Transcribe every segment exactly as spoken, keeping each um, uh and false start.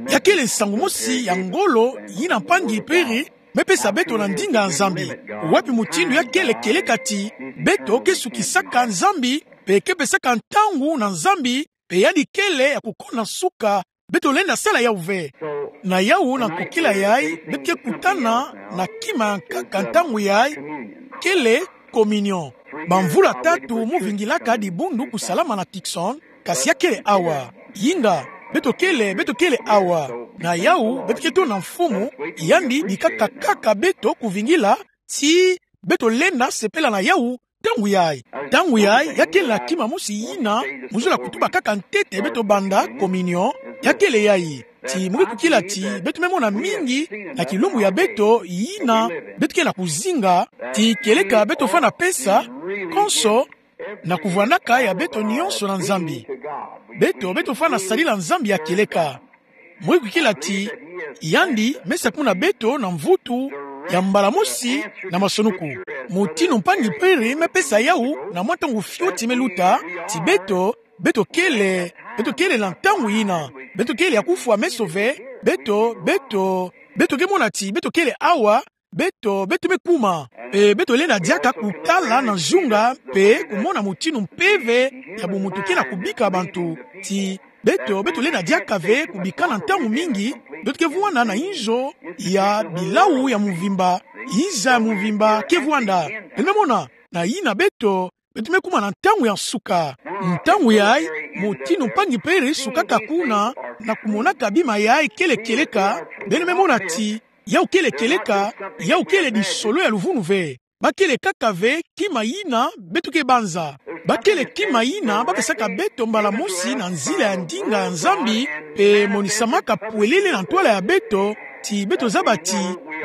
Ya kele nsangu mosi ya ngolo yina mpangi Perry me pesa beto na ndinga ya Nzambi. Wapi mutindu ya kele kieleka ti beto ke sukisaka Nzambi, pe ke pesaka ntangu na Nzambi, pe yandi kele ya kukona nsuka, beto lenda sala yawu ve. Na yawu, na nkokila yayi, beto ke kutana na kima ya nkaka ntangu yayi, kele communion. Bamvula tatu mu vingilaka dibundu kusalama na Tucson, kasi ya kele awa. Yinga, beto kele, beto kele awa. Na yawu, beto ke tona Mfumu, yandi bikaka kaka beto kuvingila, ti beto lenda sepela na yawu, ntangu yayi. Ntangu yayi, ya kele na kima mosi yina mu zola kutuba kaka ntete beto banda communion, ya kele yayi. Ti mu ke kukila ti beto me mona mingi na kilumbu ya beto yina beto ke na kuzinga, ti kieleka beto fwana pesa konso na kuvwandaka ya beto nionso na Nzambi. Beto, beto fwana sadila Nzambi ya kieleka. Mu ke kukila ti yandi me sakumuna beto na mvutu ya mbala mosi na masonuku. Mutindu mpangi Perry me pesa yawu na mwa ntangu fioti me luta, ti beto, beto kele, beto kele na ntangu yina. Beto kele ya kufwa meso ve, beto, beto, beto ke mona ti beto kele awa, beto, beto me kuma. Pe beto lenda diaka kutala na nzunga, pe kumona mutindu mpeve ya bumuntu ke na kubika bantu. Ti beto, beto lenda diaka ve kubika na ntangu mingi, beto ke vwanda na inzo ya bilawu ya mvimba, inza ya mvimba ke vwanda. Beno me mona, na yina beto, beto me kuma na ntangu ya nsuka. Ntangu yayi, mutindu mpangi Perry sukaka kuna, na kumonaka bima yayi kele kieleka, beno me mona ti yawu kele kieleka, yawu kele disolo ya luvunu ve. Ba kele kaka ve kima yina beto ke banza. Ba kele kima yina ba pesaka beto mbala mosi na nzila ya ndinga ya Nzambi, pe monisamaka pwelele na ntwala ya beto, ti beto zaba ti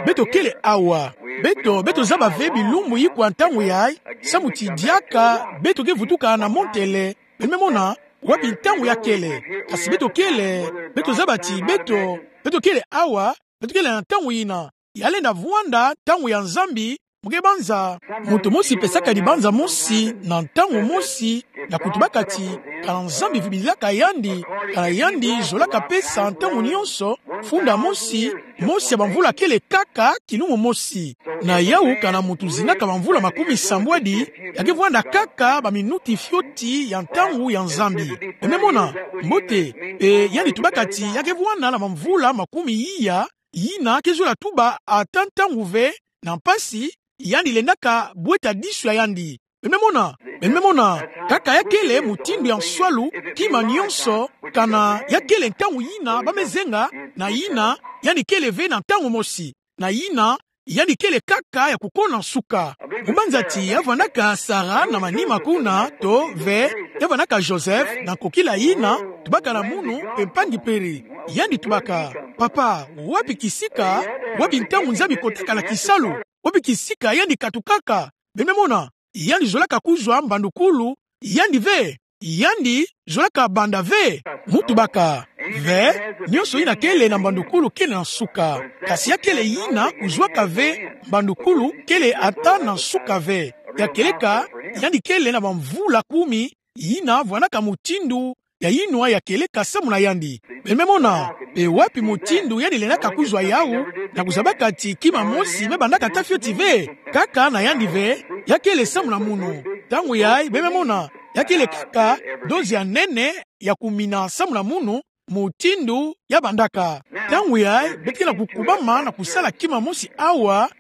beto kele awa. Beto, beto zaba ve bilumbu ikwa ntangu yayi, samu ti diaka beto ke vutuka na montele. Beno me mona, wapi ntangu ya kele. Kasi beto kele, beto zaba ti beto, beto kele awa, beto kele na ntangu yina. Ya lenda vwanda ntangu ya Nzambi, mu ke banza. Muntu mosi pesaka dibanza mosi na ntangu mosi, na kutubaka ti kana Nzambi vubilaka yandi, kana yandi zolaka pesa ntangu nionso, funda mosi, mosi ya bamvula kele kaka kilumbu mosi. Na yawu, kana muntu zinaka bamvula makumi sambwadi, ya ke vwanda kaka baminuti fioti ya ntangu ya Nzambi. Beno me mona, mbote, pe yandi tubaka ti ya ke vwanda na bamvula makumi iya, yina ke zola tuba ata ntangu ve, na mpasi, yandi lendaka bweta disu ya yandi. Beno me mona, beno me mona, kaka ya kele mutindu ya nswalu, kima nionso, kana ya kele ntangu yina ba me zenga, na yina, yandi kele ve na ntangu mosi. Na yina, yandi kele kaka ya kukona nsuka. Mu banza ti ya vwandaka Sarah na manima kuna, to ve, ya vwandaka Joseph, na nkokila yina, tubaka na munu, pe mpangi Perry. Yandi tubaka, papa, wapi kisika, wapi ntangu Nzambi kotaka na kisalu, wapi kisika yandi katukaka. Beno me mona, yandi zolaka kuzwa mbandukulu, yandi ve, yandi zolaka banda ve. Mu tubaka, ve, nionso yina kele na mbandukulu kele na nsuka. Kasi ya kele yina kuzwaka ve mbandukulu kele ata na nsuka ve. Ya kieleka, yandi kele na bamvula kumi, yina vwandaka mutindu ya yinwa ya kieleka samu na yandi. Beno me mona, pe wapi mutindu yandi lendaka kuzwa yawu, na kuzabaka ti kima mosi me bandaka ata fioti ve, kaka na yandi ve, ya kele samu na munu. Ntangu yayi, beno me mona, ya kele kaka dozi ya nene ya kumina samu na munu, mutindu ya bandaka. Ntangu yayi, beto ke na kukubama na kusala kima mosi awa,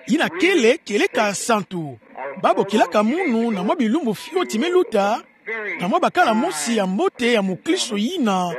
yina kele kieleka santu. Ba bokilaka munu na mwa bilumbu fioti me luta, na mwa bakala mosi ya mbote ya mukristo yina,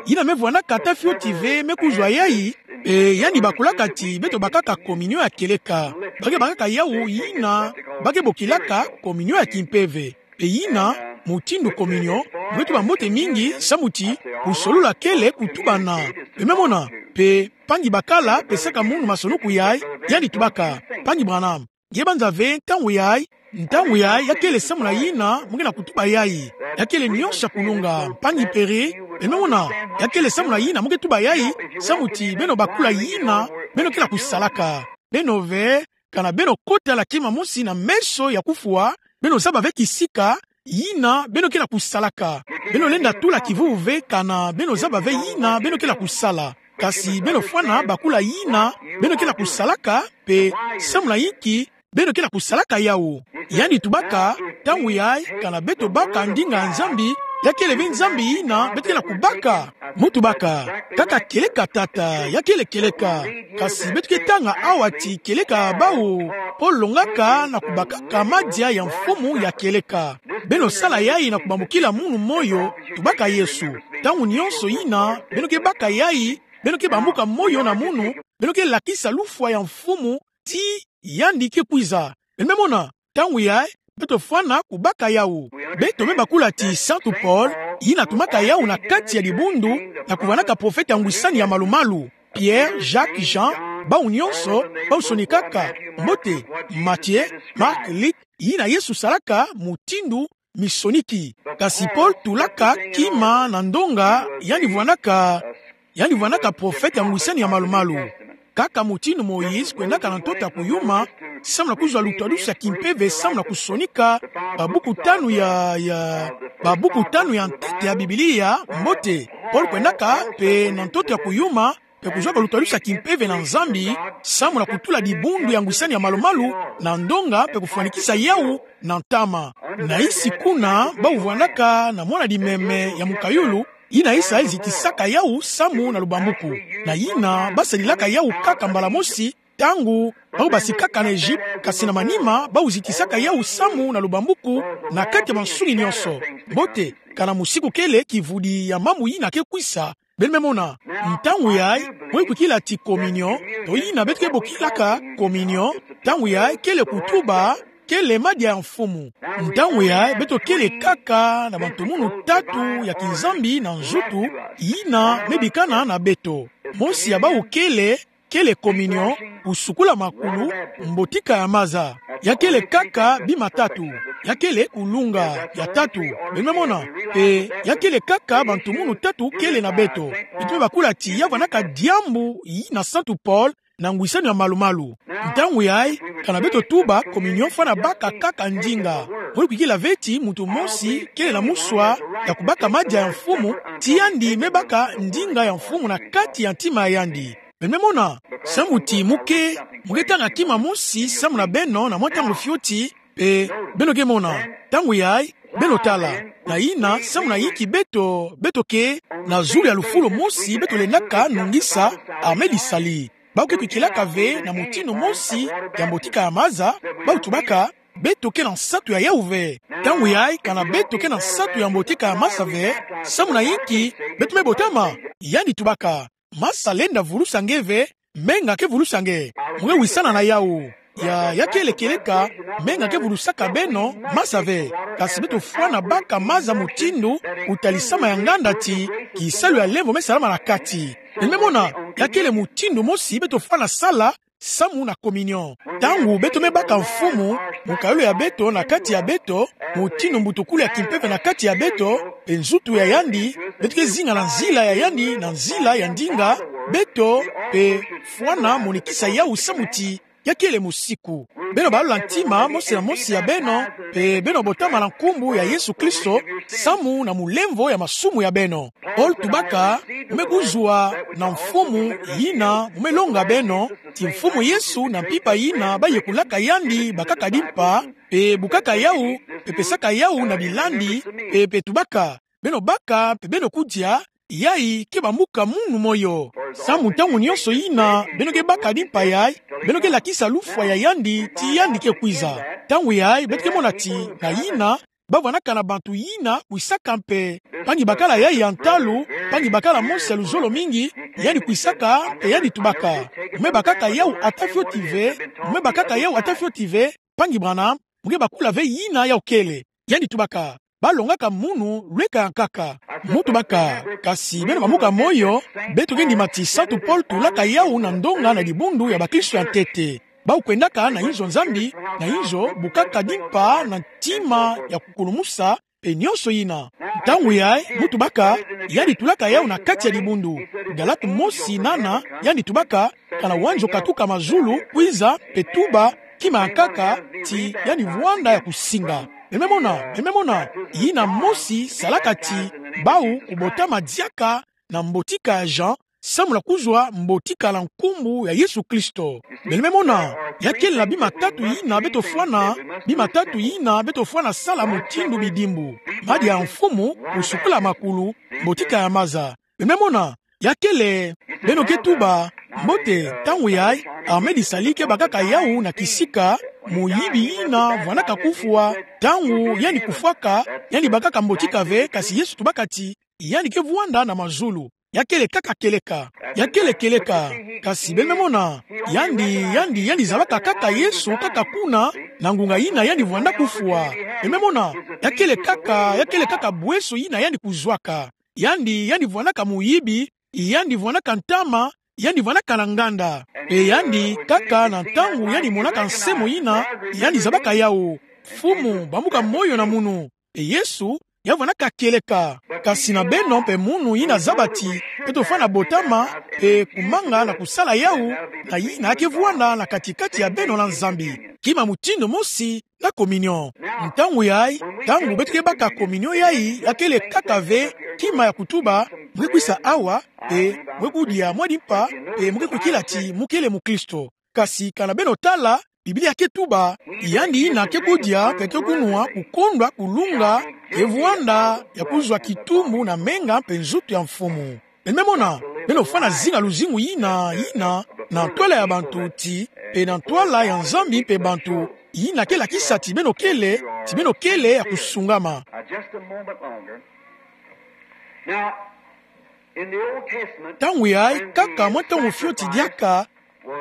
yina me vwandaka ata fioti ve me kuzwa yayi, e, yandi bakulaka ti beto bakaka communion ya kieleka. Ba ke bakaka yawu yina ba ke bokilaka communion ya kimpeve. Pe yina, mutindu communion, mu ke tuba mbote mingi, samu ti kusolola kele kutubana. Beno me mona, pe mpangi bakala pesaka munu masonuku yayi, yandi tubaka, mpangi Branham, nge banza ve ntangu yayi, ntangu yayi ya kele samu na yina mu ke na kutuba yayi. Ya kele nionso ya kulunga, mpangi Perry, beno me mona, ya kele samu na yina mu ke tuba yayi, samu ti beno bakula yina beno ke na kusalaka. Beno ve, kana beno kota na kima mosi na meso ya kufwa, beno zaba ve kisika yina beno ke na kusalaka. Beno lenda tula kivuvu ve kana beno zaba ve yina beno ke na kusala. Kasi beno fwana bakula yina beno ke na kusalaka, mpe samu na yinki beno ke na kusalaka yawu. Yandi tubaka, ntangu yayi, kana beto baka ndinga ya Nzambi, ya kele ve Nzambi yina beto ke na kubaka. Mu tubaka, kaka kieleka Tata, ya kele kieleka. Kasi beto ke tanga awa ti kieleka bawu, Polo alongaka na kubakaka madia ya mfumu ya kieleka. Beno sala yayi na kubambukila munu moyo, tubaka Yesu. Ntangu nyonso yina beno ke baka yayi, beno ke bambuka moyo na munu, beno ke lakisa lufwa ya mfumu, ti yandi ke kwiza. Beno me mona, ntangu yayi, beto fwana kubaka yawu. Beto me bakula ti Santu Polo, yina atumaka yawu na kati ya dibundu, na kuvwanaka profete ya ngwisani ya malumalu. Pierre, Jacques, Jean, bawu nyonso, bawu sonikaka, mbote, Matthieu, Marc, Luc, yina Yesu salaka mutindu misoniki. Kasi Polo tulaka kima na ndonga, yandi vwanaka, yandi vwanaka profete ya ngwisani ya malumalu. Kaka mutindu Moïse kwendaka na ntoto ya kuyuma, samu na kuzwa lutwadusi ya kimpeve, samu na kusonika babuku tanu ya, ya, babuku tanu ya ntete ya Biblia, mbote. Polo kwendaka mpe na ntoto ya kuyuma, mpe kuzwaka lutwadusi ya kimpeve na Nzambi, samu na kutula dibundu ya ngwisani ya malumalu na ndonga mpe kufwanikisa yawu na ntama. Na yinsi kuna, bawu vwanaka na mwana dimeme ya mukayulu, yina yisa zitisaka yawu samu na lubambuku. Na yina, basadilaka yawu kaka mbala mosi, ntangu bawu basikaka na Egypte, kasi na manima, bawu zitisaka yawu samu na lubambuku, na kati ya mansuni nyonso. Mbote, kana musiku kele kivudi ya mambu yina ke kwisa, beno me mona, ntangu yayi, mwe kwikila ti communion, to yina beto ke bokilaka communion, ntangu yayi kele kutuba, kele madia ya mfumu. Ntangu yayi beto kele kaka na bantomunu tatu ya kinzambi na nzutu, yina me bikana na beto. Mosi ya bawu kele, kele communion, kusukula makulu, mbotika ya maza. Ya kele kaka bima tatu. Ya kele kulunga, ya tatu. Beno me mona, mpe ya kele kaka bantomunu tatu kele na beto. Beto me bakula ti ya vwanaka diambu yina Santu Polo na ngwisani ya malumalu. Ntangu yayi, kana beto tuba communion fwana baka kaka ndinga. Mwe kwikila ve ti muntu mosi kele na muswa ya kubaka madia ya mfumu, ti yandi me baka ndinga ya mfumu na kati ya ntima ya yandi. Beno me mona, samu ti mu ke, mu ke tanga kima mosi samu na beno na mwa ntangu fioti, mpe beno ke mona, ntangu yayi, beno tala, na yina, samu na yinki beto, beto ke, na zulu ya lufulu mosi beto lendaka nungisa, Armée du Salut. Bawu ke kwikilaka ve na mutindu mosi ya mbotika ya maza, bawu tubaka, beto ke na nsatu ya yawu ve. Ntangu yayi kana beto ke na nsatu ya mbotika ya maza ve, samu na yinki, beto me botama, yandi tubaka, masa lenda vulusa nge ve, menga ke vulusa nge. Mu ke wisana na yawu. Ya, ya kele kieleka, menga ke vulusaka beno, masa ve. Kasi beto fwana baka maza mutindu, kutalisama ya nganda ti, kisalu ya lemvo me salama na kati. Beno me mona, ya kele mutindu mosi beto fwana sala, samu na communion. Ntangu beto me baka mfumu, mukayulu ya beto na kati ya beto, mutindu mbutukulu ya kimpeve na kati ya beto, mpe nzutu ya yandi, beto ke zinga na nzila ya yandi, na nzila ya ndinga, beto, mpe fwana monikisa yawu samu ti, ya kele musiku. Beno balola ntima, mosi na mosi ya beno, mpe beno botama na nkumbu ya Yesu Kristo, samu na mulemvo ya masumu ya beno. Polo tubaka, mu me kuzwa na mfumu yina, mu me longa beno, ti mfumu Yesu na mpimpa yina, bayekolaka yandi, bakaka dimpa, mpe bukaka yawu, mpe pesaka yawu na bilandi, mpe, mpe tubaka, beno baka, mpe beno kudia, yayi ke bambuka munu moyo. Samu ntangu nyonso yina, beno ke baka dimpa yayi, beno ke lakisa lufwa ya yandi, ti yandi ke kwiza. Ntangu yayi, beto ke mona ti, na yina, ba vwanaka na bantu yina kwisaka mpe. Mpangi bakala yayi ya ntalu, mpangi bakala mosi ya luzolo mingi, yandi kwisaka, mpe yandi tubaka. Mu me bakaka yawu ata fioti ve, mu me bakaka yawu ata fioti ve, mpangi Branham, mu ke bakula ve yina yawu kele. Yandi tubaka, ba longaka munu lweka ya nkaka. Mu tubaka, kasi beno bambuka moyo, beto ke ndima ti Santu Polo tulaka yawu na ndonga na dibundu ya bakristo ya ntete. Bawu kwendaka na inzo Nzambi, na inzo bukaka dimpa na ntima ya kukulumusa, mpe nyonso yina. Ntangu yayi, mu tubaka, yandi tulaka yawu na kati ya dibundu. Galate mosi nana, yandi tubaka, kana wanja okatuka mazulu, kwiza, mpe tuba, kima ya nkaka, ti yandi vwanda ya kusinga. Beno me mona, beno me mona, yina mosi salaka ti bawu kubotama diaka na mbotika ya Jean, samu na kuzwa mbotika na nkumbu ya Yesu Kristo. Beno me mona, ya kele na bima tatu yina beto fwana, bima tatu yina beto fwana sala mutindu bidimbu: madia ya mfumu, kusukula makulu, mbotika ya maza. Beno me mona, ya kele, beno ke tuba, mbote, ntangu yayi, Ahmed Salih kebakaka yawu na kisika, muyibi yina vwanaka kufwa, ntangu yandi kufwaka, yandi bakaka mbotika ve, kasi Yesu tubaka ti yandi ke vwanda na mazulu. Ya kele kaka kieleka. Ya kele kieleka. Kasi beno me mona, yandi, yandi, yandi zabaka kaka Yesu kaka kuna, na ngunga yina yandi vwanda kufwa. Beno me mona, ya kele kaka, ya kele kaka bweso yina yandi kuzwaka. Yandi, yandi vwanaka muyibi, yandi vwanaka ntama, yandi vwanaka na nganda. Mpe yandi, kaka na ntangu yandi monaka nsemo yina, yandi zabaka yawu: Mfumu, bambuka moyo na munu. Mpe Yesu, ya vwanaka kieleka. Kasi na beno mpe munu yina zaba ti beto fwana botama, mpe kumanga na kusala yawu, na yina ke vwanda na kati-kati ya beno na Nzambi. Kima mutindu mosi na communion. Ntangu yayi, ntangu beto ke baka communion yayi, ya kele kaka ve kima ya kutuba, mu ke kwisa awa, mpe mu ke kudia mwa dimpa, mpe mu ke kwikila ti mu kele mukristo. Kasi kana beno tala, Biblia ke tuba, yandi yina ke kudia mpe ke kunwa kukondwa kulunga, ke vwanda ya kuzwa kitumbu na menga mpe nzutu ya Mfumu. Beno me mona, beno fwana zinga luzingu yina, yina, na ntwala ya bantu ti, mpe na ntwala ya Nzambi mpe bantu, yina ke lakisa ti beno kele, ti beno kele ya kusungama. Uh, just a moment longer. Now, in the Old Testament, ntangu yayi, kaka mwa ntangu fioti diaka,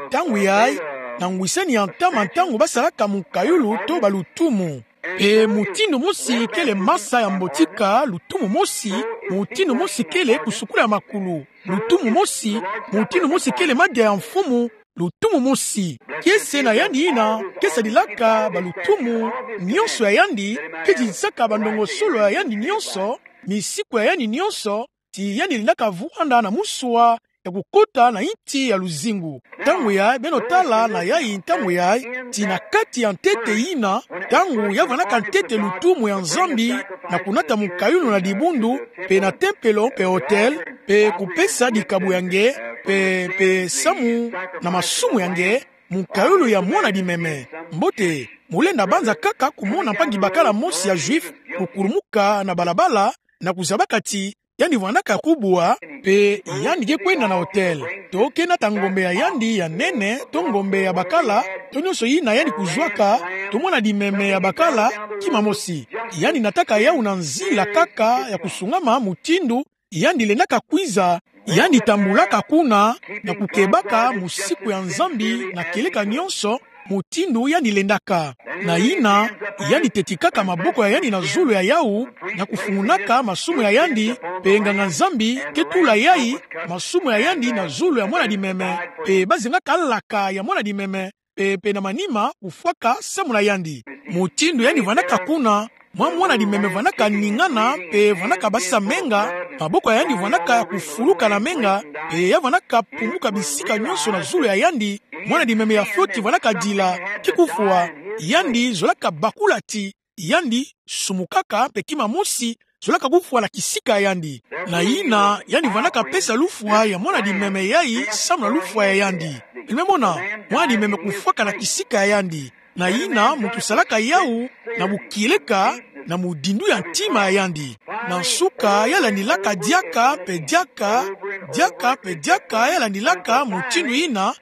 ntangu yayi, na ngwisani ya ntama ntangu basalaka mukayulu to balutumu. Mpe mutindu mosi kele masa ya mbotika, lutumu mosi, mutindu mosi kele kusukula ya makulu, lutumu mosi, mutindu mosi kele madia ya Mfumu, lutumu mosi. Kiese na yandi yina ke sadilaka balutumu nyonso ya yandi, ke didisaka bandongosolo ya yandi nyonso, misiku ya yandi nyonso, ti yandi lendaka vwanda na muswa ya kukota na inti ya luzingu. Ntangu yayi, beno tala na yayi ntangu yayi, ti na kati ya ntete yina, ntangu ya vwanaka ntete lutumu ya Nzambi, na kunata mukayulu na dibundu, mpe na tempelo mpe autel, mpe kupesa dikabu ya nge, mpe, mpe samu na masumu ya nge, mukayulu ya mwana dimeme. Mbote, mu lenda banza kaka kumona mpangi-bakala mosi ya Juif kukulumuka na balabala, na kuzabaka ti yandi vwanaka kubwa, mpe yandi ke kwenda na autel, to ke nata ngombe ya yandi ya nene, to ngombe ya bakala, to nyonso yina yandi kuzwaka, to mwana dimeme ya bakala, kima mosi. Yandi nataka yawu na nzila kaka ya kusungama mutindu yandi lendaka kwiza, yandi tambulaka kuna, na kukebaka musiku ya Nzambi na kieleka nyonso, mutindu yandi lendaka. Na yina, yandi tetikaka maboko ya yandi na zulu ya yawu, na kufungunaka masumu ya yandi, mpe nganga-Nzambi ke tula yayi masumu ya yandi na zulu ya mwana dimeme, mpe bazengaka laka ya mwana dimeme, mpe, mpe na manima kufwaka samu na yandi. Mutindu yandi vwanaka kuna, mwa mwana dimeme vwanaka ningana, mpe vwanaka basisa menga, maboko ya yandi vwanaka ya kufuluka na menga, mpe ya vwanaka pumuka bisika nyonso na zulu ya yandi, mwana dimeme ya fioti vwanaka dila, ke kufwa, yandi zolaka bakula ti yandi sumukaka, mpe kima mosi zolaka kufwa na kisika ya yandi. Na yina, yandi vwanaka pesa lufwa ya mwana dimeme yayi samu na lufwa ya yandi. Beno me mona, mwana dimeme kufwaka na kisika ya yandi. Na yina, muntu salaka yawu na bukieleka, na mudindu ya ntima ya yandi. Na nsuka, ya landilaka diaka, mpe diaka, diaka, mpe diaka, ya landilaka mutindu yina,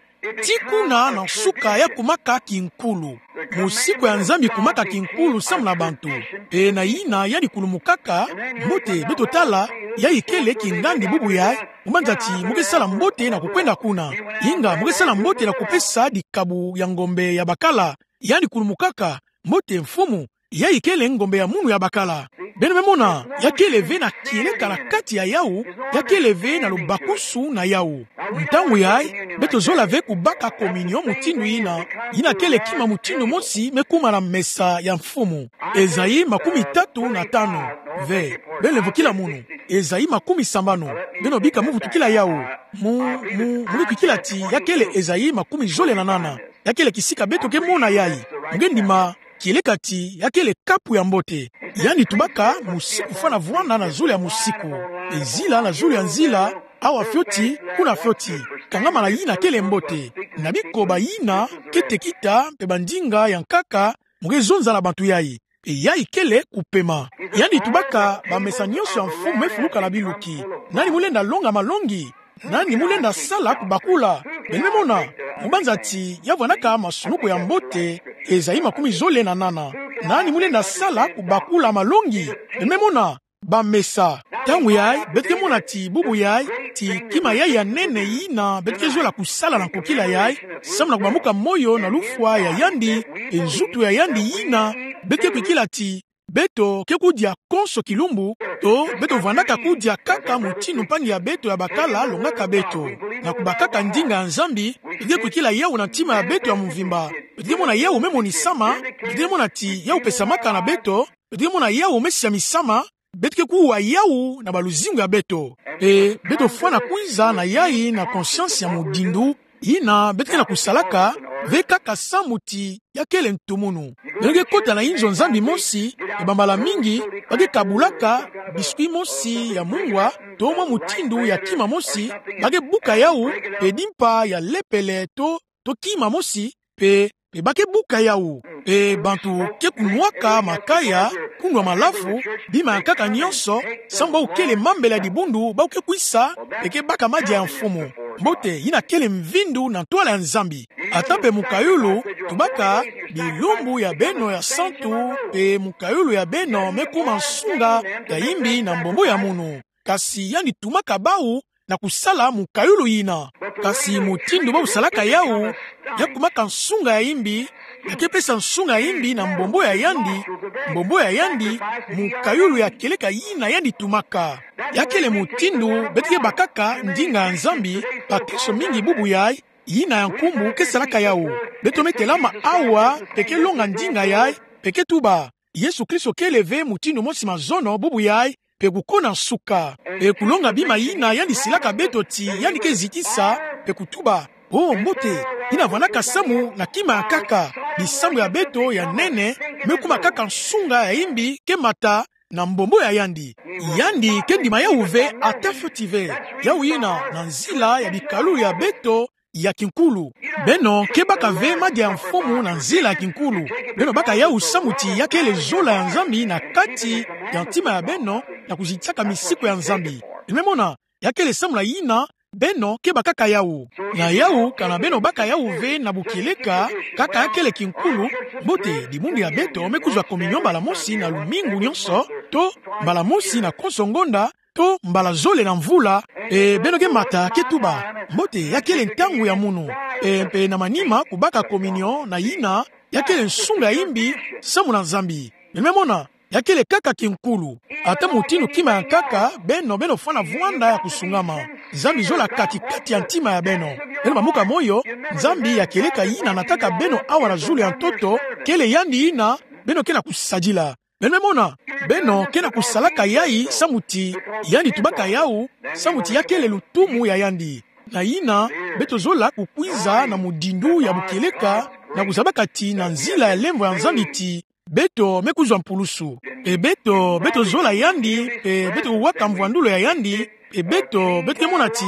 tii kuna na nsuka ya kumaka kinkulu. Musiku ya Nzambi kumaka kinkulu samu na bantu. Mpe na yina yandi kulumukaka, mbote, beto tala, yayi kele kingandi bubu yayi, mu banza ti mu ke sala mbote na kukwenda kuna. Inga mu ke sala mbote na kupesa dikabu ya ngombe ya bakala. Yandi kulumukaka, mbote, Mfumu, yayi kele ngombe ya munu ya bakala. Beno me mona, ya kele ve na kieleka na kati ya yawu, ya kele ve na lubakusu na yawu. Ntangu yayi, beto zola ve kubaka communion mutindu yina, yina kele kima mutindu mosi me kuma na mesa ya Mfumu. Esaïe makumi tatu na tanu. Ve, beno vukila munu. Esaïe makumi sambanu. Beno bika mu vutukila yawu. Mu, mu, mu lukikila ti ya kele Esaïe makumi zole na nana. Ya kele kisika beto ke mona yayi. Mu ke ndima kieleka ti ya kele kapu ya mbote. Yandi tubaka: Mosiku fwana vwanda na zulu ya mosiku, pe zila na zulu ya nzila, awa fioti, kuna fioti. Kangamana yina kele mbote. Na bikoba yina, kete kita, pe bandinga ya nkaka, mo ke zonza na bantu yayi. Pe yayi kele kupema. Yandi tubaka: Bamesa nyonso ya mfumu mefuluka na biluki. Nani mu lenda longa malongi? Nani mu lenda sala kubakula? Beno me mona, mu banza ti ya vwandaka masunuku ya mbote, ezali makumi zole na nana. Nani mu lenda sala kubakula malongi? Beno me mona, bamesa. Ntangu yayi, beto ke mona ti bubu yayi, ti kima yayi ya nene yina beto ke zola kusala na nkokila yayi, samu na kubamuka moyo na lufwa ya yandi, e nzutu ya yandi yina beto ke kwikila ti beto ke kudia konso kilumbu, to beto vwandaka kudia kaka mutindu mpangi ya beto ya bakala alongaka beto. Na kubakaka ndinga ya Nzambi, beto ke kwikila yawu na ntima ya beto ya mvimba. Beto ke mona yawu me monisama, beto ke mona ti yawu pesamaka na beto, beto ke mona yawu me siamisama, beto ke kuwa yawu na baluzingu ya beto. Pe beto fwana kwiza na yayi na conscience ya mudindu, yina beto ke na kusalaka ve kaka samu ti ya kele ntumunu. Beno ke kota na inzo Nzambi mosi, pe bambala mingi ba ke kabulaka biscuit mosi ya mungwa, to mwa mutindu ya kima mosi, ba ke buka yawu, pe dimpa ya lepele to, to kima mosi, pe, pe ba ke buka yawu. Pe bantu ke kunwaka makaya, kunwa malafu, bima ya nkaka nyonso, samu bawu kele mambele ya dibundu bawu ke kwisa, pe ke baka madia ya mfumu. Mbote, yina kele mvindu na ntwala ya Nzambi. Ata pe mukayulu, tubaka: Bilumbu ya beno ya santu, pe mukayulu ya beno me kuma nsunga ya imbi na mbombo ya munu. Kasi yandi tumaka bawu na kusala mukayulu yina. Kasi mutindu bawu salaka yawu, ya kumaka nsunga ya imbi, ya ke pesa nsunga ya imbi na mbombo ya yandi, mbombo ya yandi, mukayulu ya kieleka yina yandi tumaka. Ya kele mutindu beto ke bakaka ndinga ya Nzambi. Bakristo mingi bubu yayi, yina ya nkumbu ke salaka yawu. Beto me telama awa, pe ke longa ndinga yayi, pe ke tuba: Yesu Kristo kele ve mutindu mosi mazono bubu yayi, pe kukona nsuka. Pe kulonga bima yina yandi silaka beto ti yandi ke zitisa, pe kutuba: O mbote, yina vwandaka samu na kima ya nkaka. Bisambu ya beto ya nene me kuma kaka nsunga ya imbi ke mata na mbombo ya yandi. Yandi ke ndima yawu ve, ata fioti ve. Yawu yina na nzila ya bikalulu ya beto ya kinkulu. Beno ke baka ve madia ya mfumu na nzila ya kinkulu. Beno baka yawu samu ti ya kele zola ya Nzambi na kati ya ntima ya beno, na kuzitisaka misiku ya Nzambi. Beno me mona, ya kele samu na yina beno ke bakaka yawu. Na yawu, kana beno baka yawu ve na bukieleka, kaka ya kele kinkulu, mbote, dibundu ya beto me kuzwa communion mbala mosi na lumingu nyonso, to mbala mosi na konso ngonda, to mbala zole na mvula, e beno ke mata ke tuba: Mbote, ya kele ntangu ya munu. E mpe na manima kubaka communion na yina, ya kele nsunga ya imbi samu na Nzambi. Beno me mona, ya kele kaka kinkulu. Ata mutindu kima ya nkaka, beno, beno fwana vwanda ya kusungama. Nzambi zola kati-kati ya ntima ya beno. Beno bamuka moyo, Nzambi ya kieleka yina nataka beno awa na zulu ya ntoto, kele yandi yina beno ke na kusadila. Beno me mona, beno ke na kusalaka yayi samu ti yandi tubaka yawu, samu ti ya kele lutumu ya yandi. Na yina, beto zola kukwiza na mudindu ya bukieleka, na kuzabaka ti na nzila ya lemvo ya Nzambi ti beto me kuzwa mpulusu. Pe beto, beto zola yandi, pe beto waka mvwandulu ya yandi, pe beto, beto ke mona ti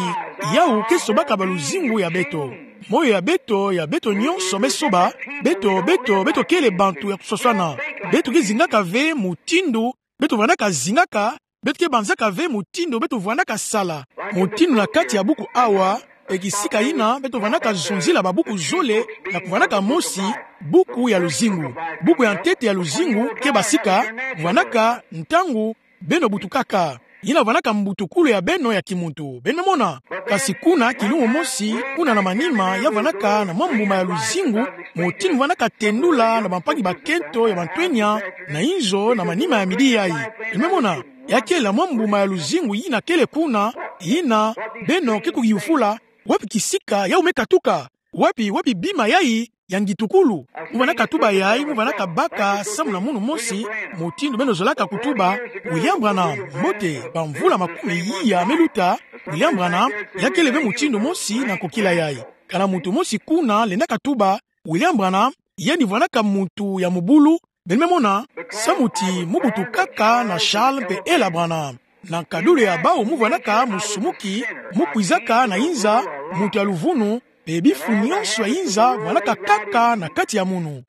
yawu ke sobaka baluzingu ya beto. Moyo ya beto, ya beto nyonso me soba. Beto, beto, beto kele bantu ya kuswaswana. Beto ke zingaka ve mutindu beto vwandaka zingaka, beto ke banzaka ve mutindu beto vwandaka sala. Mutindu na kati ya buku awa, e kisika yina beto vwandaka zonzila babuku zole, na kuvwandaka mosi, buku ya luzingu. Buku ya ntete ya luzingu ke basika: Vwandaka, ntangu, beno butukaka. Yina vwandaka mbutukulu ya beno ya kimuntu. Beno mona. Kasi kuna, kilumbu mosi, kuna na manima, ya vwandaka na mwa mbuma ya luzingu, mutindu vwandaka tendula na bampangi bakento ya bantwenya, na inzo na manima ya midi yayi. Beno me mona, ya kele mwa mbuma ya luzingu yina kele kuna, yina beno ke kuyufula: Wapi kisika yawu me katuka? Wapi, wapi bima yayi ya ngitukulu? Mu vwandaka tuba yayi, mu vwandaka baka samu na munu mosi, mutindu beno zolaka kutuba: William Branham, mbote, bamvula makumi iya me luta, William Branham, ya kele ve mutindu mosi na nkokila yayi. Kana muntu mosi kuna lendaka tuba: William Branham, yandi vwanaka muntu ya mubulu, beno me mona, samu ti mu butukaka na Charles mpe Ella Branham. Na nkadulu ya bawu mu vwanaka musumuki, mu kwizaka na inza, muntu ya luvunu, mpe bifu nyonso ya inza vwanaka kaka na kati ya munu.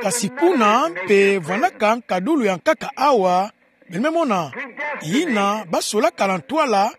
Kasi kuna mpe vwanaka nkadulu ya nkaka awa, beno me mona, yina basolaka na ntwala,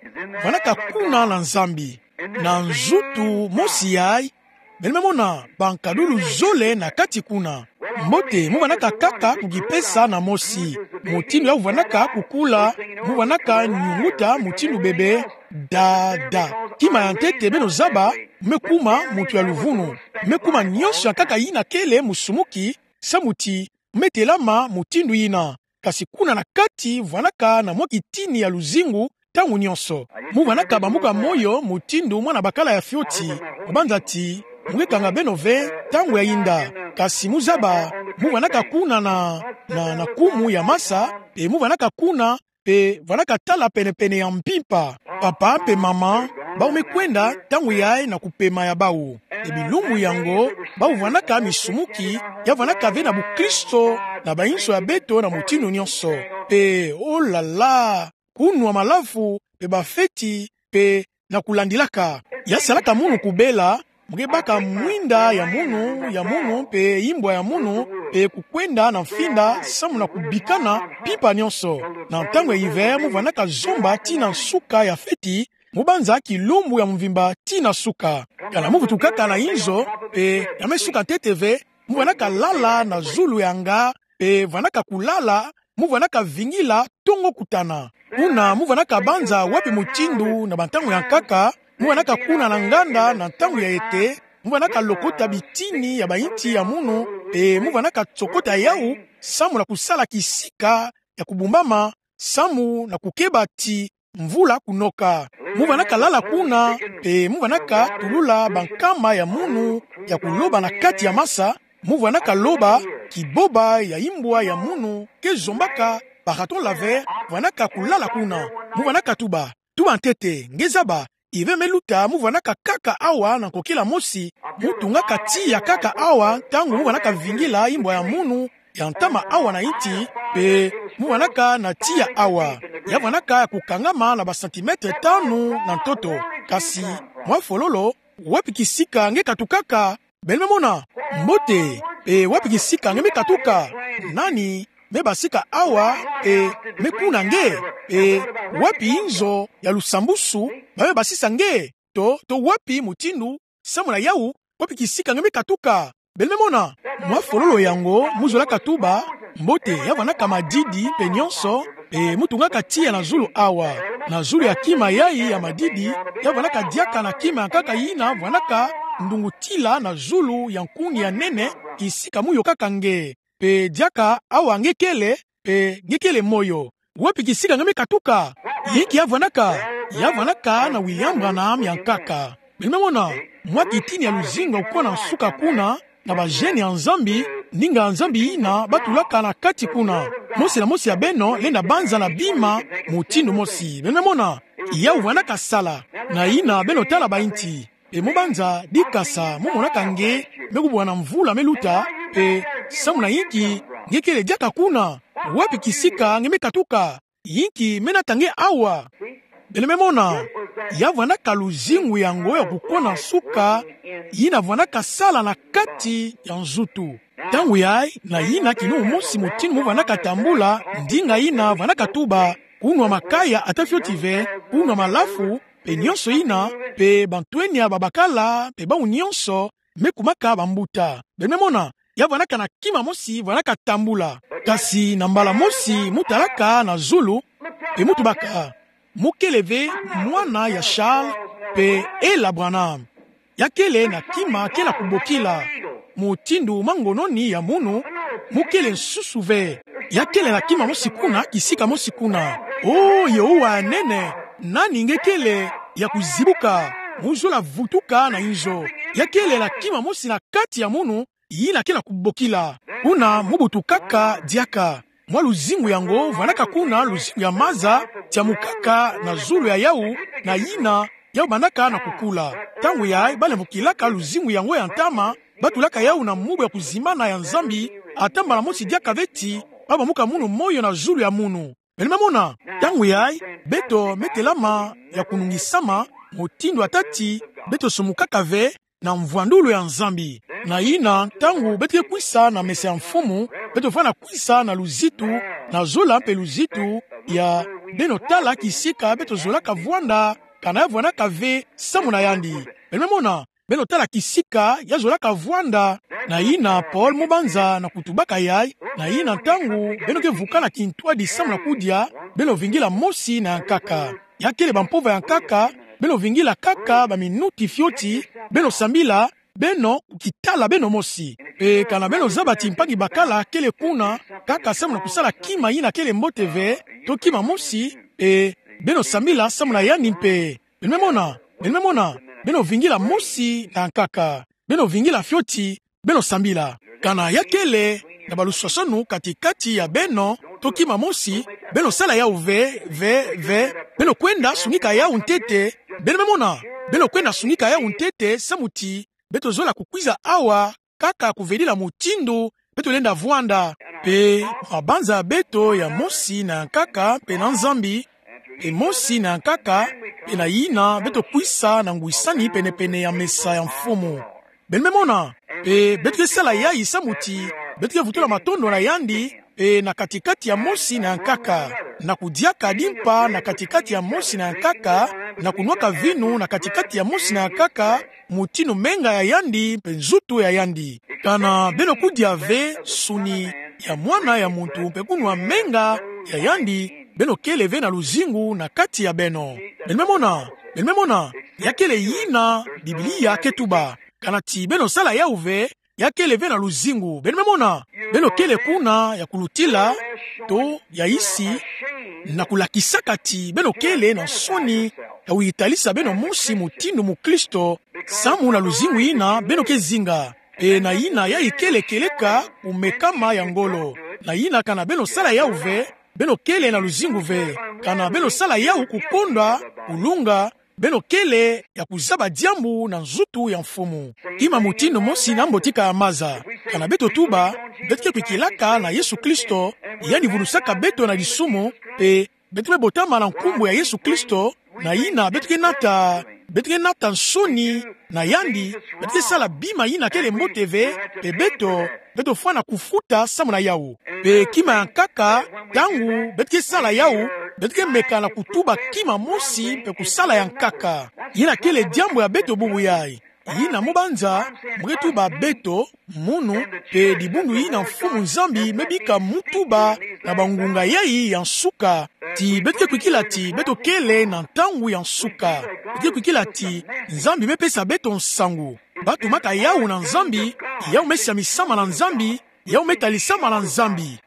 vwanaka kuna na Nzambi. Na nzutu mosi yayi, beno me mona, bankadulu zole na kati kuna. Mbote, mu vwanaka kaka kukipesa na mosi. Mutindu ya vwanaka kukula, mu vwanaka nyunguta mutindu bebe, da, da. Kima ya ntete beno zaba, me kuma muntu ya luvunu. Me kuma nyonso ya nkaka yina kele musumuki, samu ti me telama mutindu yina. Kasi kuna na kati vwanaka na mwa kitini ya luzingu ntangu nyonso. Mu vwanaka bambuka moyo mutindu mwana bakala ya fioti. Kubanza ti, mu ke kanga beno ve ntangu ya yinda. Kasi mu zaba, mu vwanaka kuna na, na, na kumu ya masa, mpe mu vwanaka kuna, mpe vwanaka tala pene-pene ya mpimpa. Papa mpe mama, bawu me kwenda ntangu yayi na kupema ya bawu. Mpe bilumbu yango, bawu vwanaka misumuki, ya vwanaka ve na bukristo, na bainso ya beto na mutindu nyonso. Mpe, oh là là, kunwa malafu, mpe bafeti, mpe na kulandilaka. Ya salaka munu kubela, mu ke baka mwinda ya munu, ya munu, mpe imbwa ya munu, mpe kukwenda na mfinda, samu na kubikana mpimpa nyonso. Na ntangu ya hiver, mu vwanaka zomba tii na nsuka ya feti, mu banza kilumbu ya mvimba tii na suka. Kana mu vutukaka na inzo, mpe ya me suka ntete ve, mu vwanaka lala na zulu ya nga, mpe vwanaka kulala, mu vwanaka vingila ntongo kutana. Kuna mu vwanaka banza wapi mutindu na bantangu ya nkaka, mu vwanaka kuna na nganda na ntangu ya ete, mu vwanaka lokota bitini ya bainti ya munu, mpe mu vwanaka tsokota yawu, samu na kusala kisika ya kubumbama, samu na kukeba ti mvula kunoka. Mu vwanaka lala kuna, mpe mu vwanaka tulula bankama ya munu ya kuloba na kati ya masa, mu vwanaka loba, kiboba ya imbwa ya munu ke zombaka, ba raton laveur, vwanaka kulala kuna. Mu vwanaka tuba, tuba ntete, nge zaba, hiver me luta, mu vwanaka kaka awa na nkokila mosi, mu tungaka tiya kaka awa, ntangu mu vwanaka vingila imbwa ya munu, ya ntama awa na inti, mpe mu vwanaka na tiya awa. Ya vwanaka ya kukangama na ba centimètres tanu na ntoto. Kasi, mwa fololo, wapi kisika nge katukaka? Beno me mona, mbote, mpe wapi kisika nge me katuka? Nani me basika awa, mpe me kuna nge? Mpe wapi inzo ya lusambusu ba me basisa nge? To, to wapi mutindu, samu na yawu, wapi kisika nge me katuka? Beno me mona, mwa fololo yango, mu zolaka tuba, mbote, ya vwanaka madidi mpe nyonso, mpe mu tungaka tiya na zulu awa. Na zulu ya kima yayi ya madidi, ya vwanaka diaka na kima ya nkaka yina vwanaka ndungutila na zulu ya nkungi ya nene, kisika mu yokaka nge. Mpe diaka awa nge kele, mpe nge kele moyo. Wapi kisika nge me katuka? Yinki ya vwanaka? Ya vwanaka na William Branham ya nkaka. Beno me mona, mwa kitini ya luzingu ya kukona nsuka kuna, na ba jeunes ya Nzambi, ndinga ya Nzambi yina batulaka na kati kuna. Mosi na mosi ya beno lenda banza na bima mutindu mosi. Beno me mona, yawu vwanaka sala. Na yina beno tala bainti. Mpe mu banza dikasa, mu monaka nge, me kubwana mvula me luta, mpe samu na yinki nge kele diaka kuna? Wapi kisika nge me katuka? Yinki me nata nge awa? Beno me mona, ya vwanaka luzingu yango ya kukona nsuka, yina vwanaka sala na kati ya nzutu. Ntangu yayi, na yina kilumbu mosi mutindu mu vwanaka tambula, ndinga yina vwanaka tuba, kunwa makaya ata fioti ve, kunwa malafu, mpe nyonso yina, mpe bantwenya babakala, mpe bawu nyonso, me kumaka bambuta. Beno me mona, ya vwanaka na kima mosi, vwanaka tambula. Kasi na mbala mosi, mu talaka na zulu, mpe mu tubaka, mu kele ve mwana ya Charles, mpe Ella Branham. Ya kele na kima ke na kubokila. Mutindu mangononi ya munu, mu kele nsusu ve. Ya kele na kima mosi kuna, kisika mosi kuna. Oh, Yehovah ya nene, nani nge kele ya kuzibuka, mu zola vutuka na inzo. Ya kele na kima mosi na kati ya munu, yina ke na kubokila. Kuna mu butukaka diaka. Mwa luzingu yango, vwanaka kuna luzingu ya maza, tiamukaka na zulu ya yawu, na yina, yawu bandaka na kukula. Ntangu yayi, ba lemvokilaka luzingu yango ya ntama, batulaka yawu na mubu ya kuzimbana ya Nzambi, atambala mosi diaka ve ti babamuka munu moyo na zulu ya munu. Beno me mona, ntangu yayi, beto me telama ya kunungisama, mutindu ata ti beto sumukaka ve na mvwandulu ya Nzambi. Na yina, ntangu beto ke kwisa na mesa ya Mfumu, beto fwana kwisa na luzitu, na zola mpe luzitu ya beno tala kisika beto zolaka vwanda, kana ya vwandaka ve samu na yandi. Beno me mona, beno tala kisika ya zolaka vwanda. Na yina Paul Mubanza na kutubaka yayi, na yina ntangu beno ke vukana kintwadi samu na kudia, beno vingila mosi na ya nkaka. Ya kele bampova ya nkaka, beno vingila kaka baminuti fioti, beno sambila, beno kukitala beno mosi. Mpe kana beno zaba ti mpangi bakala kele kuna, kaka samu na kusala kima yina kele mbote ve, to kima mosi, mpe beno sambila samu na yandi mpe. Beno me mona, beno me mona, beno vingila mosi na ya nkaka. Beno vingila fioti, beno sambila. Kana ya kele na baluswaswanu kati-kati ya beno, to kima mosi, beno sala yawu ve, ve, ve, beno kwenda sungika yawu ntete, beno me mona, beno kwenda sungika yawu ntete, samu ti beto zola kukwiza awa, kaka kuvedila mutindu beto lenda vwanda. Mpe mabanza ya beto ya mosi na ya nkaka, mpe na Nzambi, mpe mosi na ya nkaka, mpe na yina beto kwisa na ngwisani pene-pene ya mesa ya Mfumu. Beno me mona, mpe beto ke sala yayi samu ti beto ke vutula matondo na yandi, mpe na kati-kati ya mosi na ya nkaka, na kudiaka dimpa na kati-kati ya mosi na ya nkaka, na kunwaka vinu na kati-kati ya mosi na ya nkaka, mutindu menga ya yandi mpe nzutu ya yandi. Kana beno kudia ve nsuni ya Mwana ya Muntu mpe kunwa menga ya yandi, beno kele ve na luzingu na kati ya beno. Beno me mona, beno me mona, ya kele yina Biblia ke tuba. Kana ti beno sala yawu ve, ya kele ve na luzingu. Beno me mona, beno kele kuna ya kulutila, to ya isi, na kulakisaka ti beno kele na nsoni ya kuyitalisa beno mosi mutindu mukristo, samu na luzingu yina beno ke zinga. Mpe na yina yayi kele kieleka kumekama ya ngolo. Na yina kana beno sala yawu ve, beno kele na luzingu ve. Kana beno sala yawu kukondwa, kulunga, beno kele ya kuzaba diambu na nzutu ya Mfumu. Kima mutindu mosi na mbotika ya maza. Kana beto tuba, beto ke kwikilaka na Yesu Kristo, yandi vulusaka beto na disumu, mpe beto me botama na nkumbu ya Yesu Kristo, na yina beto ke nata, beto ke nata nsoni na yandi, beto ke sala bima yina kele mbote ve, mpe beto, beto fwana kufuta samu na yawu. Mpe kima ya nkaka, ntangu beto ke sala yawu, beto ke meka na kutuba kima mosi mpe kusala ya nkaka. Yina kele diambu ya beto bubu yayi. Yina Mubanza, mu ke tuba beto, munu, mpe dibundu yina Mfumu Nzambi me bika mu tuba na bangunga yayi ya nsuka. Ti beto ke kwikila ti beto kele na ntangu ya nsuka. Beto ke kwikila ti Nzambi me pesa beto nsangu. Batumaka yawu na Nzambi, yawu me siamisama na Nzambi, yawu me talisama na Nzambi.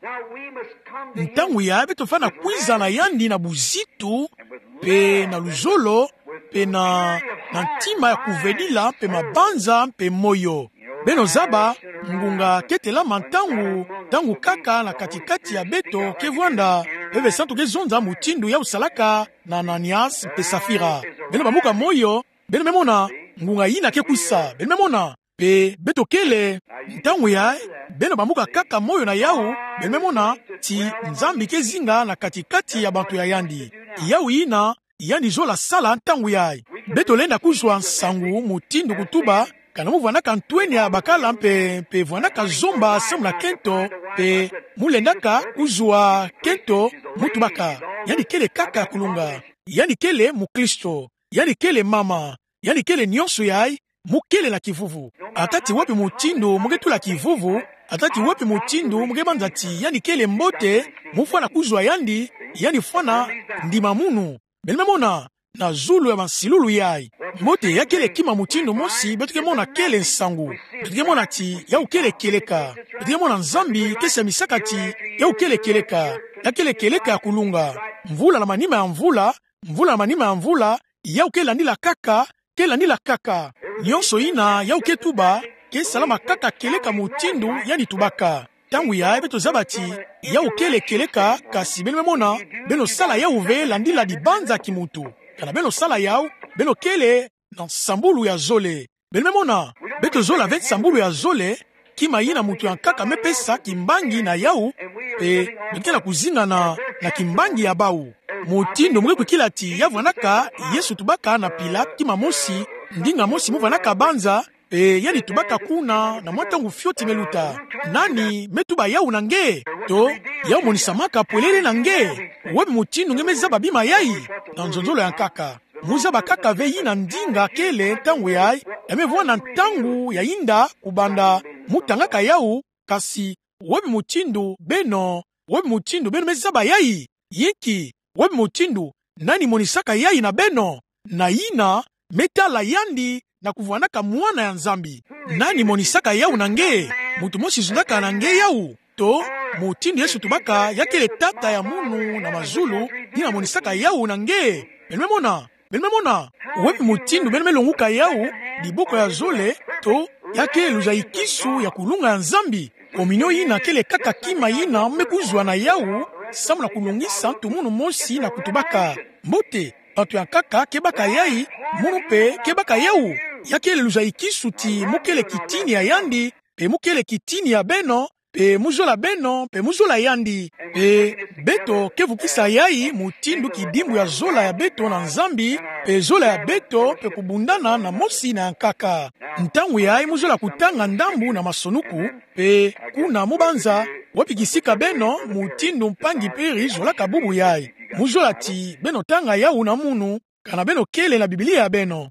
Ntangu yayi beto fwana kwiza na yandi na buzitu, mpe na luzolo, mpe na, na ntima ya kuvedila, mpe mabanza, mpe moyo. Beno zaba, ngunga ke telama ntangu, ntangu kaka na kati-kati ya beto ke vwanda, Mpeve Santu ke zonza mutindu yawu salaka na Ananias mpe Safira. Beno bambuka moyo, beno me mona, ngunga yina ke kwisa, beno me mona, mpe beto kele, ntangu yayi, beno bambuka kaka moyo na yawu, beno me mona, ti Nzambi ke zinga na kati-kati ya bantu ya yandi. Yawu yina, yandi zola sala ntangu yayi. Beto lenda kuzwa nsangu mutindu kutuba, kana mu vwandaka ntwenia ya bakala mpe, mpe vwandaka zomba samu na kento, mpe mu lendaka kuzwa kento, mu tubaka. Yandi kele kaka ya kulunga. Yandi kele mukristo. Yandi kele mama. Yandi kele nionso yayi, mu kele na kivuvu. Ata ti wapi mutindu mu ke tula kivuvu, ata ti wapi mutindu mu ke banza ti yandi kele mbote, mu fwana kuzwa yandi, yandi fwana ndima munu. Beno me mona, na zulu ya bansilulu yayi. Mbote ya kele kima mutindu mosi, beto ke mona kele nsangu. Beto ke mona ti yawu kele kieleka. Beto ke mona Nzambi ke siamisaka ti yawu kele kieleka. Ya kele kieleka ya kulunga. Mvula na manima ya mvula, mvula na manima ya mvula, yawu ke landila kaka, ke landila kaka. Nionso yina yawu ke tuba, ke salama kaka kieleka mutindu yandi tubaka. Ntangu yayi beto zaba ti yawu kele kieleka, kasi beno me mona, beno sala yawu ve landila dibanza kimuntu. Kana beno sala yawu, beno kele na nsambulu ya zole. Beno me mona, beto zola ve nsambulu ya zole, kima yina mutu ya nkaka me pesa kimbangi na yawu, mpe beno ke na kuzinga na, na kimbangi ya bawu. Mutindu mu ke kwikila ti ya vwanaka, Yesu tubaka na Pilate kima mosi, ndinga mosi mu vwanaka banza, mpe yandi tubaka kuna na mwa ntangu fioti me luta. Nani me tuba yawu na nge? To, yawu monisamaka polele na nge? Wapi mutindu nge me zaba bima yayi? Na nzonzolo ya nkaka. Mu zaba kaka ve yina ndinga kele ntangu yayi, ya me vwanda ntangu ya yinda kubanda mu tangaka yawu, kasi wapi mutindu beno, wapi mutindu beno me zaba yayi? Yinki, wapi mutindu, nani monisaka yayi na beno? Na yina me tala yandi na kuvwanaka Mwana ya Nzambi. Nani monisaka yawu na nge? Mutu mosi zundaka na nge yawu? To, mutindu Yesu tubaka ya kele Tata ya munu na mazulu, yina monisaka yawu na nge. Beno me mona, beno me mona, wapi mutindu beno me longuka yawu, diboko ya zole, to, ya kele luzaikisu ya kulunga ya Nzambi? Kominio yina kele kaka kima yina me kuzwa na yawu, samu na kulongisa ntu munu mosi na kutubaka: Mbote, bantu ya nkaka ke baka yayi, munu mpe ke baka yawu. Ya kele luzaikisu ti mu kele kitini ya yandi, mpe mu kele kitini ya beno, mpe mu zola beno, mpe mu zola yandi. Mpe beto ke vukisa yayi mutindu kidimbu ya zola ya beto na Nzambi, mpe zola ya beto mpe kubundana na mosi na ya nkaka. Ntangu yayi mu zola kutanga ndambu na masonuku, mpe kuna mu banza, wapi kisika beno, mutindu mpangi Perry zolaka bubu yayi. Mu zola ti beno tanga yawu na munu, kana beno kele na Biblia ya beno.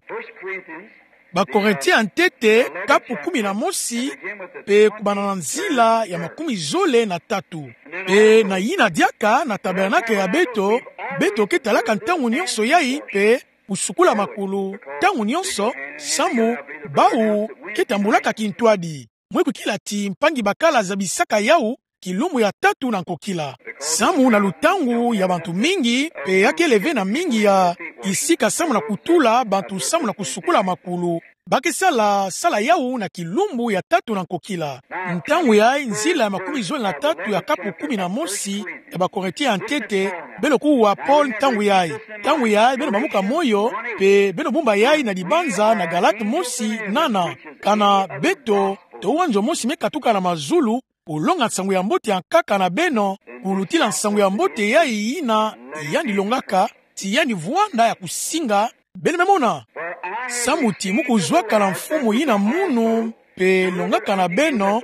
Bakorinti ya ntete, kapu kumi na mosi, mpe kubanda na nzila ya makumi zole na tatu. Mpe na yina diaka na tabernakle ya beto, beto ke talaka ntangu nyonso yayi, mpe kusukula makulu ntangu nyonso, samu bawu ke tambulaka kintwadi. Mu ke kwikila ti mpangi bakala zabisaka yawu kilumbu ya tatu na nkokila. Samu na lutangu ya bantu mingi, mpe ya kele ve na mingi ya kisika samu na kutula bantu samu na kusukula makulu, ba ke sala sala yawu na kilumbu ya tatu na nkokila. Ntangu yayi nzila ya makumi zole na tatu ya kapu kumi na mosi ya Bakorinti ya ntete, beno kuwa Paul ntangu yayi. Ntangu yayi beno bamuka moyo, mpe beno bumba yayi na libanza na Galate mosi nana: Kana beto, to wa nzo mosi me katuka na mazulu, kulonga nsangu ya mbote ya nkaka na beno, kulutila nsangu ya mbote yayi yina yandi longaka, ti yandi vwanda ya kusinga? Beno me mona, samu ti mu kuzwaka na Mfumu yina munu, mpe longaka na beno,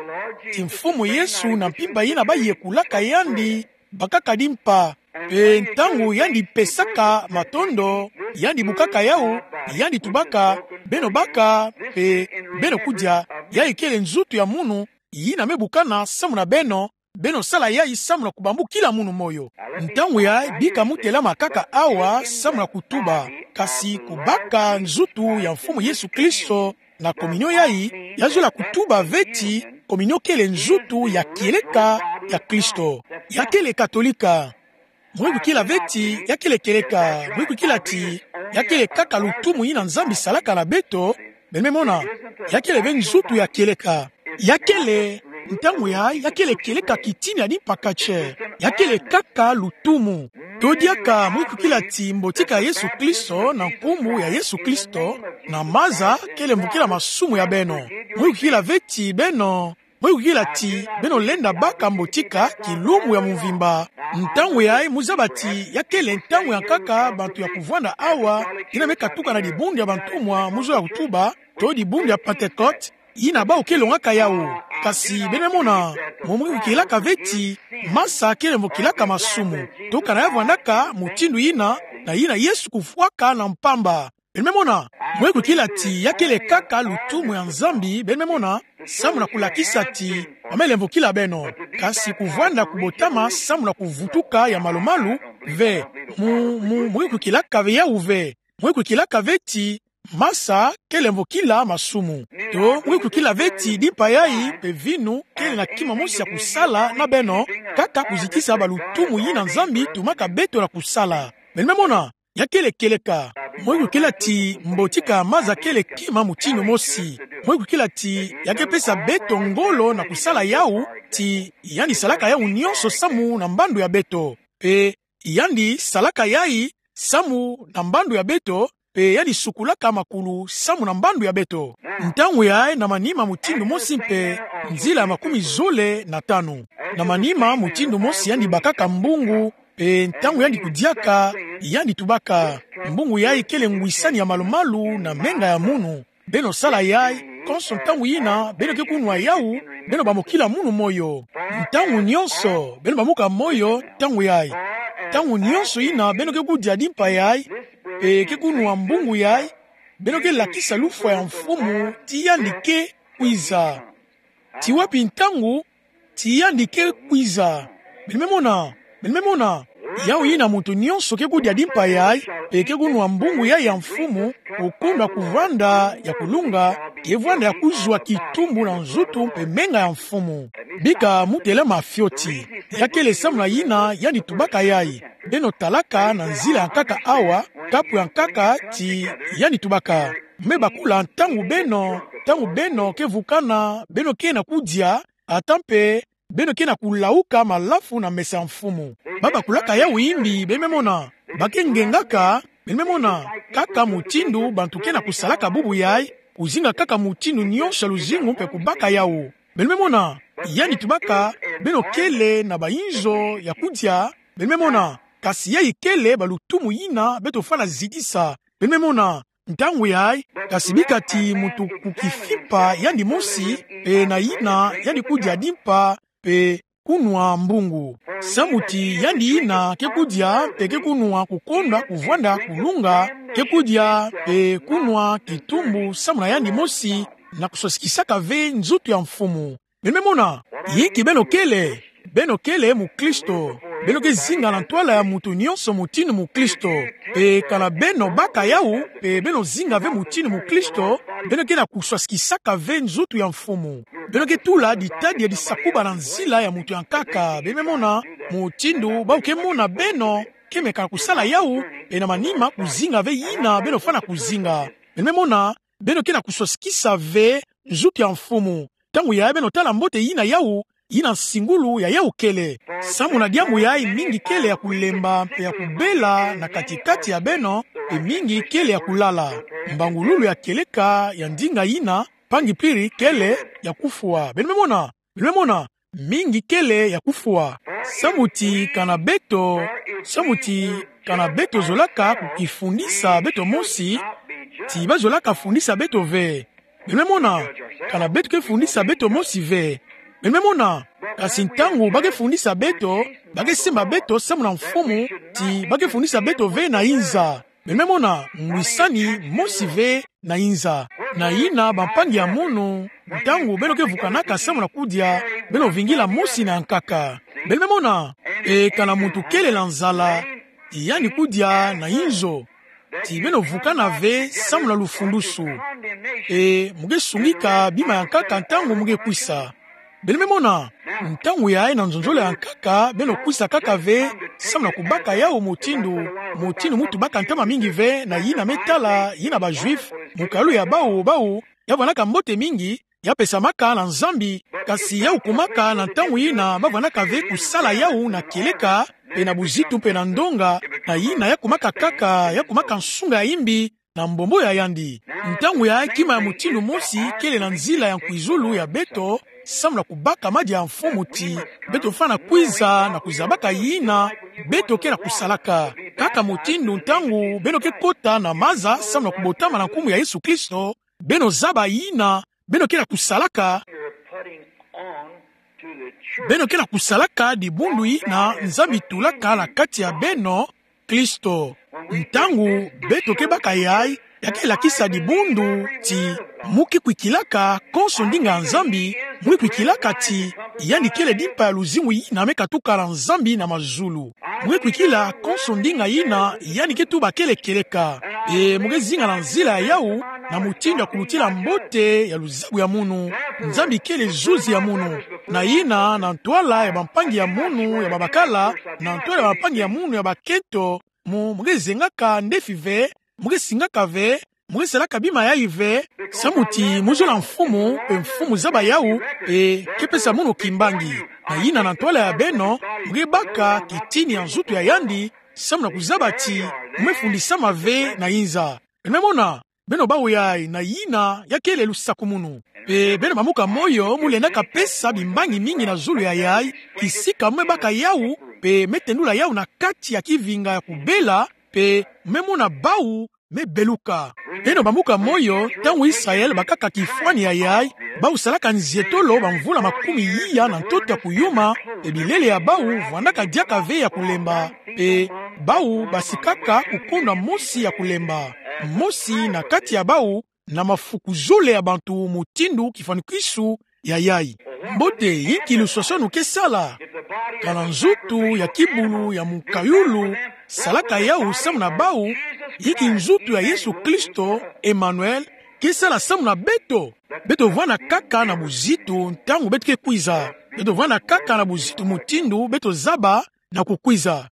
ti Mfumu Yesu na mpimpa yina ba yekolaka yandi, bakaka dimpa. Mpe ntangu yandi pesaka matondo, yandi bukaka yawu, yandi tubaka: Beno baka, mpe beno kudia, yayi kele nzutu ya munu, yina me bukana samu na beno, beno sala yayi samu na kubambukila munu moyo. Ntangu yayi bika mu telama kaka awa samu na kutuba, kasi kubaka nzutu ya Mfumu Yesu Kristo na kominio yayi, ya zola kutuba ve ti kominio kele nzutu ya kieleka ya Kristo. Ya kele Katolika. Mu ke kwikila ve ti ya kele kieleka, mu ke kwikila ti ya kele kaka lutumu yina Nzambi salaka na beto. Beno me mona, ya kele ve nzutu ya kieleka. Ya kele, ntangu yayi, ya kele kieleka kitini ya dimpa katie. Ya kele kaka lutumu. To diaka mu ke kwikila ti mbotika Yesu Kristo na nkumbu ya Yesu Kristo, na maza kele mvokila masumu ya beno. Mu ke kwikila ve ti beno, mu ke kwikila ti beno lenda baka mbotika kilumbu ya mvimba. Ntangu yayi mu zaba ti ya kele ntangu ya nkaka bantu ya kuvwanda awa, yina me katuka na dibundu ya bantumwa, mu zola kutuba, to dibundu ya Pentekote, yina bawu ke longaka yawu. Kasi beno me mona, mu ke kwikilaka ve ti masa kele mvokilaka masumu. To kana ya vwandaka mutindu yina, na yina Yesu kufwaka na mpamba. Beno me mona, mu ke kwikila ti ya kele kaka lutumu ya Nzambi, beno me mona, samu na kulakisa ti ba me lemvokila beno, kasi kuvwanda kubotama samu na kuvutuka ya malu-malu, ve. Mu, mu, mu ke kwikilaka ve yawu ve. Mu ke kwikilaka ve ti masa kele mvokila masumu. To mu ke kwikila ve ti dimpa yayi mpe vinu kele na kima mosi ya kusala na beno, kaka kuzitisa balutumu yina Nzambi tumaka beto na kusala. Beno me mona, ya kele kieleka. Mu ke kwikila ti mbotika maza kele kima mutindu mosi. Mu ke kwikila ti ya ke pesa beto ngolo na kusala yawu, ti yandi salaka yawu nyonso samu na mbandu ya beto. Mpe yandi salaka yayi samu na mbandu ya beto, mpe yandi sukulaka makulu samu na mbandu ya beto. Ntangu yayi na manima mutindu mosi mpe nzila ya makumi zole na tanu. Na manima mutindu mosi yandi bakaka mbungu, mpe ntangu yandi kudiaka, yandi tubaka. Mbungu yayi kele ngwisani ya malu-malu na menga ya munu. Beno sala yayi, konso ntangu yina beno ke kunwa yawu, beno bamokila munu moyo. Ntangu nyonso beno bamuka moyo ntangu yayi. Ntangu nyonso yina beno ke kudia dimpa yayi, mpe ke kunwa mbungu yayi, beno ke lakisa lufwa ya Mfumu ti yandi ke kwiza. Ti wapi ntangu ti yandi ke kwiza? Beno me mona, beno me mona. Yawu yina muntu nyonso ke kudia dimpa yayi, mpe ke kunwa mbungu yayi ya Mfumu, okondwa kuvwanda ya kulunga, ke vwanda ya kuzwa kitumbu na nzutu mpe menga ya Mfumu. Bika mu telama fioti. Ya kele samu na yina yandi tubaka yayi. Beno talaka na nzila ya nkaka awa, kapu ya nkaka ti yandi tubaka. Me bakula ntangu beno, ntangu beno ke vukana, beno ke na kudia, ata mpe beno ke na kulawuka malafu na mesa ya Mfumu. Ba bakulaka yawu yimbi, beno me mona. Ba ke ngengaka, beno me mona. Kaka mutindu bantu ke na kusalaka bubu yayi, kuzinga kaka mutindu nyonso ya luzingu mpe kubaka yawu. Beno me mona, yandi tubaka, beno kele na bayinzo ya kudia, beno me mona, kasi yayi kele balutumu yina beto fwana zitisa. Beno me mona, ntangu yayi, kasi bika ti muntu kukifimpa yandi mosi, mpe na yina yandi kudia dimpa, mpe kunwa mbungu. Samu ti yandi yina ke kudia, mpe ke kunwa kukondwa kuvwanda kulunga, ke kudia, mpe kunwa kitumbu samu na yandi mosi, na kuswasikisaka ve nzutu ya Mfumu. Beno me mona, inki beno kele? Beno kele mukristo. Beno ke zinga na ntwala ya muntu nyonso mutindu mukristo. Mpe kana beno baka yawu, mpe beno zinga ve mutindu mukristo, beno ke na kuswasikisaka ve nzutu ya Mfumu. Beno ke tula ditadi ya disakuba na nzila ya muntu ya nkaka. Beno me mona, mutindu bawu ke mona beno ke meka kusala yawu, mpe na manima kuzinga ve yina beno fwana kuzinga. Beno me mona, beno ke na kuswasikisa ve nzutu ya Mfumu. Ntangu yayi beno tala mbote yina yawu, yina nsingulu ya yawu kele. Samu na diambu yayi mingi kele ya kulemba mpe ya kubela na kati-kati ya beno, mpe mingi kele ya kulala. Mbangululu ya kieleka ya ndinga yina, mpangi Piri, kele ya kufwa. Beno me mona, beno me mona, mingi kele ya kufwa. Samu ti kana beto, samu ti kana beto zolaka kukifundisa beto mosi, ti bazolaka fundisa beto ve. Beno me mona, kana beto ke fundisa beto mosi ve. Beno me mona, kasi ntangu ba ke fundisa beto, ba ke semba beto samu na Mfumu, ti ba ke fundisa beto ve na inza. Beno me mona, ngwisani mosi ve na inza. Na yina bampangi ya munu, ntangu beno ke vukanaka samu na kudia, beno vingila mosi na nkaka. Beno me mona, e kana muntu kele na nzala, ti yandi kudia na inzo, ti beno vukana ve samu na lufundusu. E mu ke sungika bima ya nkaka ntangu mu ke kwisa. Beno me mona, ntangu yayi na nzonzolo ya nkaka, beno kwisa kaka ve, samu na kubaka yawu mutindu, mutindu mu tubaka ntama mingi ve, na yina me tala, yina ba Juifs, mukalu ya bawu, bawu, ya vwanaka mbote mingi, ya pesamaka na Nzambi, kasi yawu kumaka na ntangu yina ba vwanaka ve kusala yawu na kieleka, mpe na buzitu mpe na ndonga, na yina ya kumaka kaka, ya kumaka nsunga ya imbi, na mbombo ya yandi. Ntangu yayi kima ya mutindu mosi kele na nzila ya nkwizulu ya beto, samu na kubaka madia ya Mfumu ti beto fwana kwiza na kuzabaka yina beto ke na kusalaka. Kaka mutindu ntangu beno ke kota na maza samu na kubotama na nkumbu ya Yesu Kristo, beno zaba yina beno ke na kusalaka, beno ke na kusalaka dibundu yina Nzambi tulaka na kati ya beno, Kristo. Ntangu beto ke baka yayi, ya ke lakisa dibundu ti mu ke kwikilaka konso ndinga ya Nzambi, mu ke kwikilaka ti yandi kele dimpa ya luzingu yina me katuka na Nzambi na mazulu. Mu ke kwikila konso ndinga yina yandi ke tuba kele kieleka. E mu ke zinga na nzila ya yawu, na mutindu ya kulutila mbote ya luzabu ya munu. Nzambi kele zuzi ya munu. Na yina na ntwala ya bampangi ya munu ya babakala, na ntwala ya bampangi ya munu ya bakento, mu, mu ke zengaka ndefi ve, mu ke singaka ve, mu ke salaka bima yayi ve, samu ti mu zola Mfumu, mpe Mfumu zaba yawu, mpe ke pesa munu kimbangi. Na yina na ntwala ya beno, mu ke baka kitini ya nzutu ya yandi, samu na kuzaba ti mu me fundisama ve na inza. Beno mona, beno bau yayi na yina ya kele lusakumunu. Pe beno bamuka moyo, mu lenda kapesa bimbangi mingi na zulu ya yayi, kisika me baka yawu, pe me tendula yawu na kati ya kivinga ya kubela, pe me mona bawu me beluka. Beno bamuka moyo, ntangu Israël bakaka kifwani ya yayi, bawu salaka nzietolo bamvula makumi iya na ntoto ya kuyuma, pe bilele ya bawu vwandaka diaka ve ya kulemba, pe bawu basikaka kukonda mosi ya kulemba. Mosi na kati ya bawu na mafuku zole ya bantu mutindu kifwanikwisu ya yayi. Mbote, inki luswaswanu ke sala? Kana nzutu ya kibulu ya mukayulu salaka yawu samu na bawu, inki nzutu ya Yesu Kristo, Emmanuel, ke sala samu na beto? Beto vwanda kaka na buzitu ntangu beto ke kwiza. Beto vwanda kaka na buzitu mutindu beto zaba na kukwiza.